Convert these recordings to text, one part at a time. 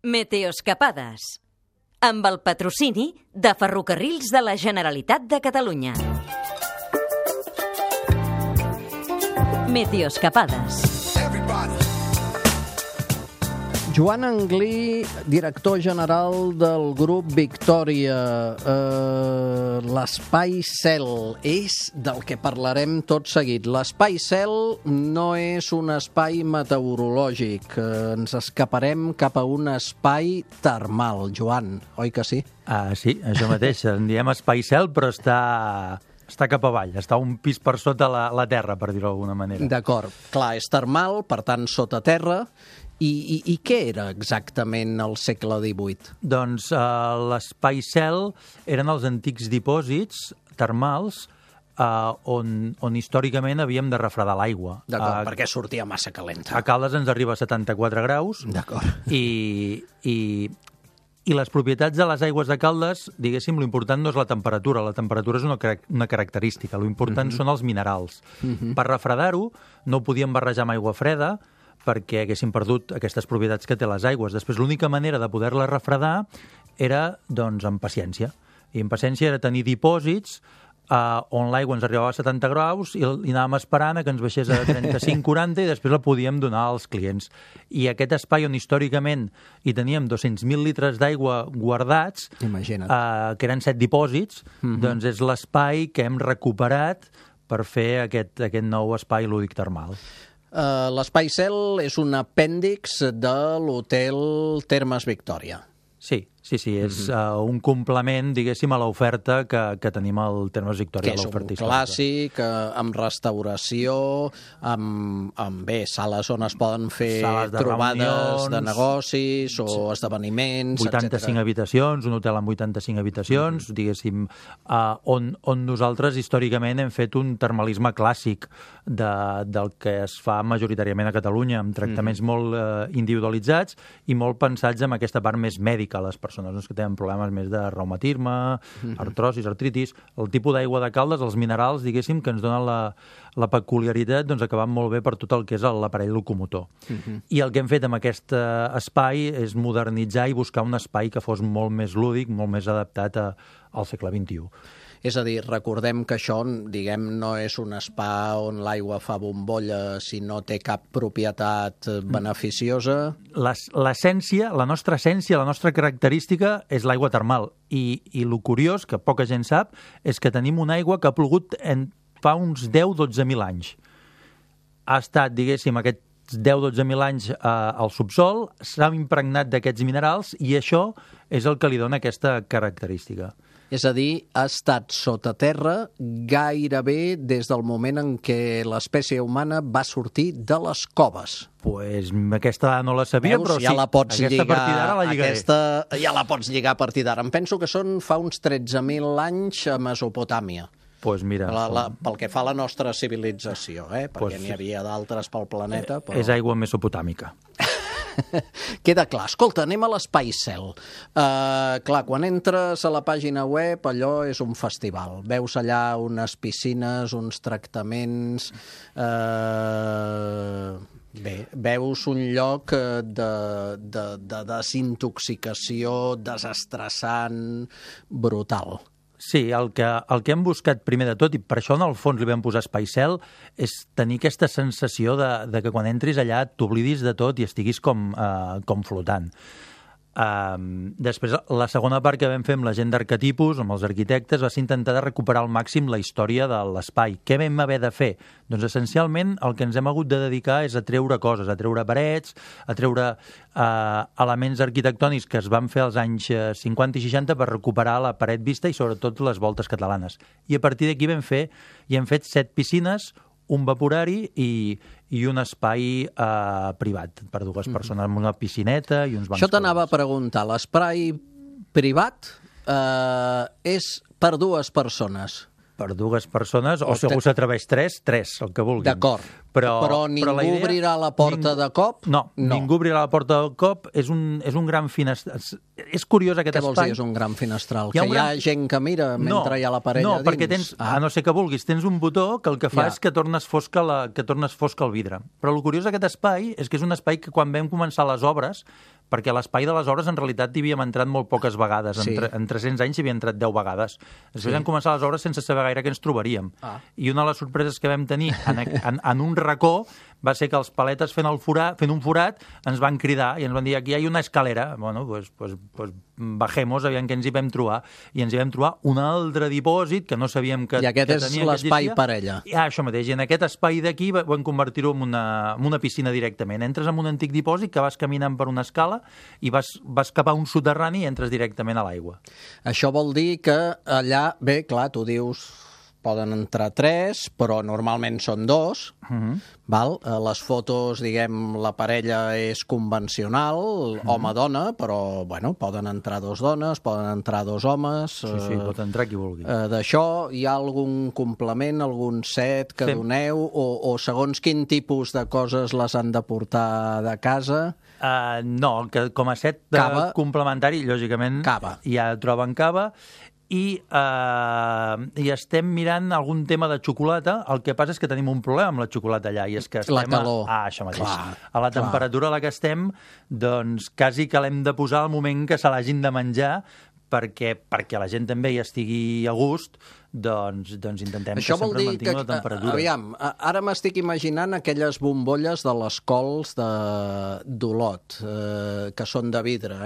Meteoscapades, amb el patrocini de Ferrocarrils de la Generalitat de Catalunya. Meteoscapades. Joan Anglí, director general del grup Victòria. L'espai cel és del que parlarem tot seguit. L'espai cel no és un espai meteorològic. Ens escaparem cap a un espai termal. Joan, oi que sí? Sí, això mateix. En diem espai cel, però està cap avall, està un pis per sota la terra, per dir-ho d'alguna manera. D'acord. Clar, és termal, per tant, sota terra. I què era exactament al segle XVIII? Doncs l'espai cel eren els antics dipòsits termals on històricament havíem de refredar l'aigua. D'acord, perquè sortia massa calenta. A Caldes ens arriba a 74 graus. D'acord. I les propietats de les aigües de Caldes, diguéssim, l'important no és la temperatura és una característica, l'important són els minerals. Per refredar-ho no ho podíem barrejar amb aigua freda, perquè haguessin perdut aquestes propietats que té les aigües. Després, l'única manera de poder-la refredar era, doncs, amb paciència. I amb paciència era tenir dipòsits on l'aigua ens arribava a 70 graus i anàvem esperant que ens baixés a 35-40 i després la podíem donar als clients. I aquest espai on històricament hi teníem 200.000 litres d'aigua guardats, que eren 7 dipòsits, doncs és l'espai que hem recuperat per fer aquest nou espai lúdic termal. L'espai cel és un apèndix de l'hotel Termes Victòria. Sí, és un complement, diguéssim, a l'oferta que tenim al Termes Victòria. Que és un clàssic, amb restauració, amb sales on es poden fer trobades de negocis o esdeveniments, 85 habitacions, un hotel amb 85 habitacions, diguéssim, on nosaltres històricament hem fet un termalisme clàssic del que es fa majoritàriament a Catalunya, amb tractaments molt individualitzats i molt pensats en aquesta part més mèdica, les persones que tenen problemes més de reumatisme, artrosis, artritis. El tipus d'aigua de Caldes, els minerals, diguéssim, que ens donen la peculiaritat, doncs acaben molt bé per tot el que és l'aparell locomotor. I el que hem fet amb aquest espai és modernitzar i buscar un espai que fos molt més lúdic, molt més adaptat al segle XXI. És a dir, recordem que això, diguem, no és un spa on l'aigua fa bombolla si no té cap propietat beneficiosa. L'essència, la nostra essència, la nostra característica és l'aigua termal. I el curiós, que poca gent sap, és que tenim una aigua que ha plogut fa uns 10-12.000 anys. Ha estat, diguéssim, aquests 10-12.000 anys al subsol, s'ha impregnat d'aquests minerals i això és el que li dona aquesta característica. És a dir, ha estat sota terra gairebé des del moment en què l'espècie humana va sortir de les coves. Pues aquesta no la sabia, però sí, aquesta partida ara la lligaré. Ja la pots lligar a partir d'ara. Em penso que són fa uns 13.000 anys a Mesopotàmia. Pues mira, pel que fa a la nostra civilització, perquè n'hi havia d'altres pel planeta. Però... És aigua mesopotàmica. Queda clar. Escolta, anem a l'espai cel. Clar, quan entres a la pàgina web, allò és un festival. Veus allà unes piscines, uns tractaments... veus un lloc de desintoxicació desestressant, brutal. Sí, el que hem buscat primer de tot, i per això en el fons li vam posar espai cel, és tenir aquesta sensació de que quan entris allà t'oblidis de tot i estiguis com flotant. Després, la segona part que vam fer amb la gent d'arquetipus, amb els arquitectes, va ser intentar de recuperar al màxim la història de l'espai. Què vam haver de fer? Doncs essencialment el que ens hem hagut de dedicar és a treure coses, a treure parets, a treure elements arquitectònics que es van fer als anys 50 i 60 per recuperar la paret vista i sobretot les voltes catalanes. I a partir d'aquí hem fet 7 piscines, un vaporari i un espai privat per 2 persones, amb una piscineta i uns bancs. Això t'anava a preguntar, l'espai privat és per 2 persones? Per 2 persones, o si algú s'atreveix 3, el que vulguin. D'acord, però ningú obrirà la porta de cop? No, ningú obrirà la porta de cop, és un gran finestral. És curiós aquest espai. Què vols dir és un gran finestral? Que hi ha gent que mira mentre hi ha la parella dins? No, perquè tens, a no ser que vulguis, tens un botó que el que fa és que tornes fosca el vidre. Però el curiós d'aquest espai és que és un espai que quan vam començar les obres perquè a l'espai de les obres en realitat hi havíem entrat molt poques vegades. Sí. En 300 anys hi havia entrat 10 vegades. Després vam començar les obres sense saber gaire què ens trobaríem. I una de les sorpreses que vam tenir en un racó va ser que els paletes fent un forat ens van cridar i ens van dir aquí hi ha una escalera. Bueno, pues bajemos, aviam què ens hi vam trobar. I ens hi vam trobar un altre dipòsit que no sabíem que I aquest és l'espai parella. Això mateix. I en aquest espai d'aquí vam convertir-ho en una piscina directament. Entres en un antic dipòsit que vas caminant per una escala i vas cap a un soterrani i entres directament a l'aigua. Això vol dir que allà, bé, clar, tu dius poden entrar 3, però normalment són 2. Val? Les fotos, diguem, la parella és convencional, home-dona, però, bueno, poden entrar 2 dones, poden entrar 2 homes... Sí, pot entrar qui vulgui. D'això hi ha algun complement, algun set que doneu, o segons quin tipus de coses les han de portar de casa? No, que com a set complementari, lògicament, ja troben cava, i estem mirant algun tema de xocolata. El que passa és que tenim un problema amb la xocolata allà, i és que estem la calor. Això mateix. A la temperatura a la que estem, doncs quasi que l'hem de posar al moment que se l'hagin de menjar, perquè la gent també hi estigui a gust, doncs intentem que sempre mantingui la temperatura. Aviam, ara m'estic imaginant aquelles bombolles de les cols d'Olot, que són de vidre,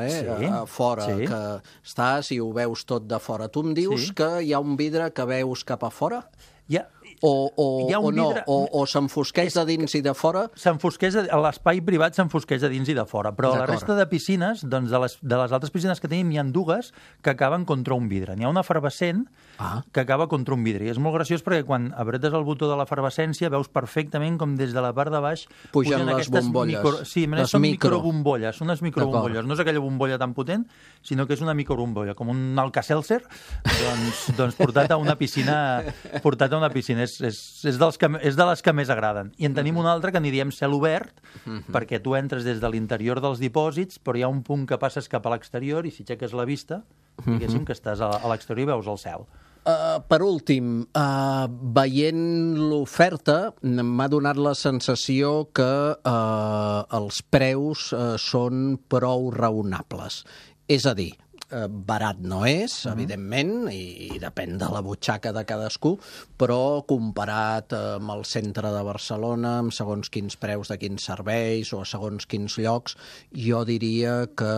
a fora, que estàs i ho veus tot de fora. Tu em dius que hi ha un vidre que veus cap a fora? O s'enfosqueix de dins i de fora? L'espai privat s'enfosqueix de dins i de fora, però a la resta de piscines, doncs de les altres piscines que tenim, hi ha 2 que acaben contra un vidre. N'hi ha una efervescent que acaba contra un vidre. I és molt graciós perquè quan apretes el botó de l'efervescència veus perfectament com des de la part de baix pugen les bombolles. Sí, són microbombolles. Unes microbombolles. No és aquella bombolla tan potent, sinó que és una microbombolla, com un Alka-Seltzer, doncs portat a una piscina. És de les que més agraden. I en tenim una altra que n'hi diem cel obert, perquè tu entres des de l'interior dels dipòsits, però hi ha un punt que passes cap a l'exterior i si aixeques la vista, diguéssim que estàs a l'exterior i veus el cel. Per últim, veient l'oferta, m'ha donat la sensació que els preus són prou raonables. És a dir, barat no és, evidentment, i depèn de la butxaca de cadascú, però comparat amb el centre de Barcelona, amb segons quins preus de quins serveis o a segons quins llocs, jo diria que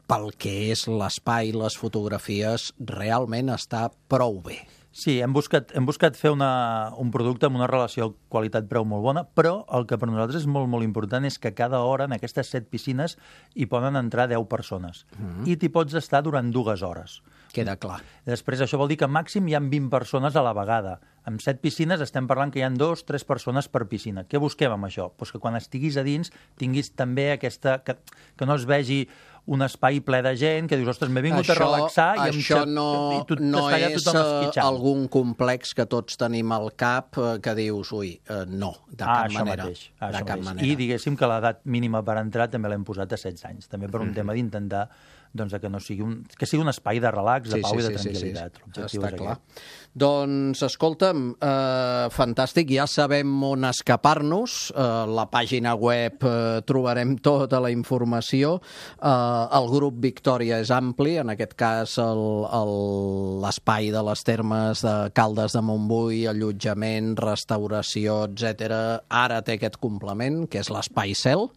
pel que és l'espai, les fotografies, realment està prou bé. Sí, hem buscat fer un producte amb una relació qualitat-preu molt bona, però el que per nosaltres és molt, molt important és que cada hora en aquestes 7 piscines hi poden entrar 10 persones. I t'hi pots estar durant 2 hores. Queda clar. Després, això vol dir que màxim hi ha 20 persones a la vegada. Amb 7 piscines estem parlant que hi ha 2-3 persones per piscina. Què busquem amb això? Pues que quan estiguis a dins tinguis també aquesta... que no es vegi un espai ple de gent, que dius, ostres, m'he vingut a relaxar... Això no és algun complex que tots tenim al cap que dius, no, de cap manera. Això mateix. I diguéssim que l'edat mínima per entrar també l'hem posat a 16 anys, també per un tema d'intentar que no sigui que sigui un espai de relax, de pau i de tranquil·litat. Està clar. Doncs, escolta'm, fantàstic, ja sabem on escapar-nos, la pàgina web trobarem tota la informació, el grup Victòria és ampli, en aquest cas l'espai de les termes de Caldes de Montbui, allotjament, restauració, etc. Ara té aquest complement, que és l'Espai Cel,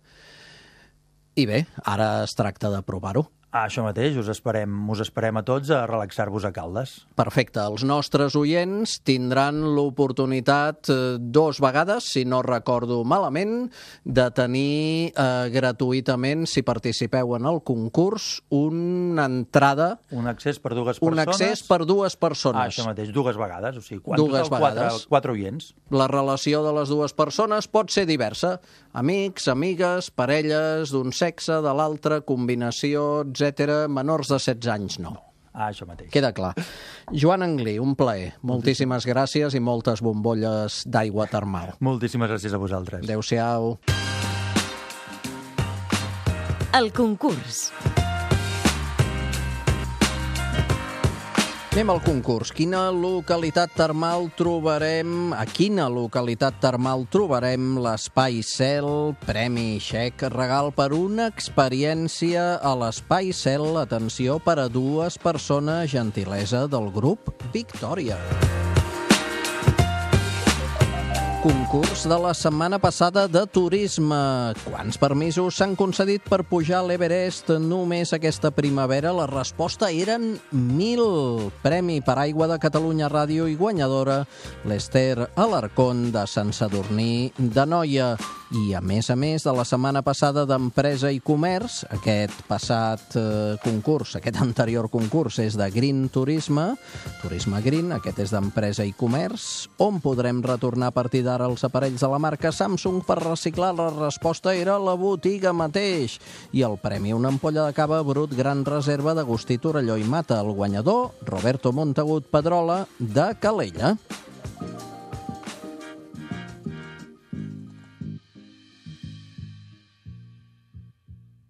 i bé, ara es tracta de provar-ho. Això mateix, us esperem a tots a relaxar-vos a Caldes. Perfecte. Els nostres oients tindran l'oportunitat 2 vegades, si no recordo malament, de tenir gratuïtament, si participeu en el concurs, una entrada... Un accés per 2 persones. Un accés per 2 persones. Això mateix, 2 vegades. O sigui, 4 oients. La relació de les 2 persones pot ser diversa. Amics, amigues, parelles d'un sexe, de l'altre, combinació, etc. Menors de 16 anys, no. Això mateix. Queda clar. Joan Anglí, un plaer. Moltíssimes gràcies i moltes bombolles d'aigua termal. Moltíssimes gràcies a vosaltres. Adéu-siau. El concurs. Anem al concurs. A quina localitat termal trobarem l'Espai Cel, premi xec, regal per una experiència a l'Espai Cel, atenció, per a 2 persones, gentilesa del grup Victòria. Concurs de la setmana passada de turisme. Quants permisos s'han concedit per pujar a l'Everest només aquesta primavera? La resposta eren 1.000. Premi per Aigua de Catalunya Ràdio i guanyadora l'Ester Alarcón de Sant Sadurní d'Anoia. I a més de la setmana passada d'Empresa i Comerç, aquest anterior concurs és de Green Turisme Green, aquest és d'Empresa i Comerç, on podrem retornar a partir d'ara els aparells de la marca Samsung per reciclar. La resposta era la botiga mateix. I el premi, una ampolla de cava Brut Gran Reserva d'Agustí Torelló i Mata. El guanyador, Roberto Montagut Pedrola, de Calella.